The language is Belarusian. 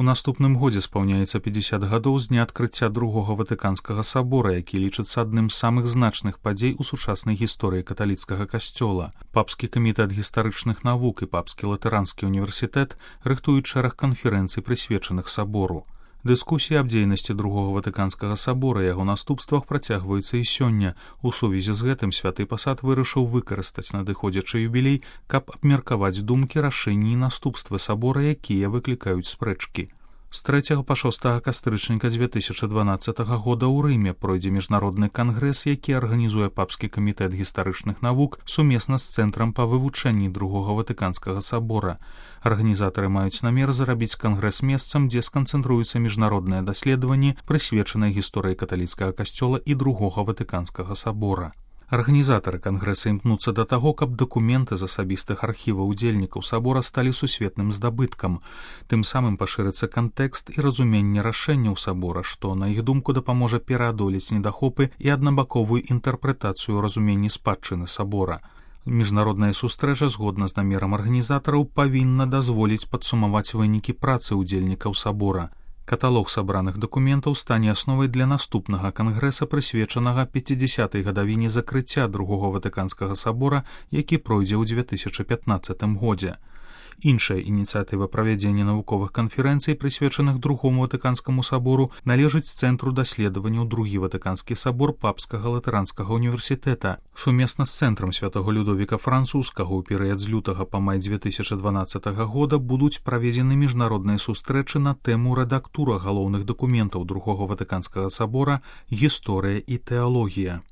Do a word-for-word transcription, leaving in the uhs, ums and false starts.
У наступным годзе спаўняецца пятьдесят гадоў з дня адкрыцця другога ватыканскага сабора, які лічыцца адным з самых значных падзей у сучаснай гісторыі каталіцкага касцёла. Папскі камітэт гістарычных навук і папскі латэранскі універсітэт рыхтуюць шэраг канферэнцый, прысвечаных сабору. Дыскусіі аб дзейнасці другога ватыканскага сабора і яго наступствах працягваюцца і сёння. У сувязі з гэтым святы пасад вырашыў выкарыстаць надыходзячы юбілей, каб абмеркаваць думкі, рашэнні і наступствы сабора, якія выклікаюць спрэчкі. З трэцяга па шостага кастрычніка две тысячы дванаццатага года ў Рыме пройдзе міжнародны кангрэс, які арганізуе папскі камітэт гістарычных навук сумесна з цэнтрам па вывучэнні другога ватыканскага сабора. Арганізатары маюць намер зарабіць кангрэс месцам, дзе сканцэнтруюцца міжнародныя даследаванні, прысвечаныя гісторыі каталіцкага касцёла і другога ватыканскага сабора. Арганізатары кангрэса імкнуцца да таго, каб дакументы з асабістых архіваў удзельнікаў сабора сталі сусветным здабыткам. Тым самым пашырыцца кантэкст і разуменне рашэнняў сабора, што, на іх думку, дапаможа пераадолець недахопы і аднабаковую інтэрпрэтацыю разуменні спадчыны сабора. Міжнародная сустрэча, згодна з намерам арганізатараў, павінна дазволіць падсумаваць вынікі працы ўдзельнікаў сабора. Каталог сабраных дакументаў стане асновай для наступнага кангрэса, прысвечанага пяцідзясятай гадавіне закрыцця другога ватыканскага сабора, які пройдзе ў две тысячы пятнаццатым годзе. Іншая ініцыятыва правядзення навуковых канферэнцый, прысвечаных другому ватыканскаму сабору, належыць Цэнтру даследаванняў другі ватыканскі сабор папскага латэранскага універсітэта. Сумесна з цэнтрам святого Людовіка Французскага ў перыяд з лютага па май две тысячы дванаццатага года будуць праведзены міжнародныя сустрэчы на тэму рэдактура галоўных дакументаў другога ватыканскага сабора, гісторыя і тэалогія.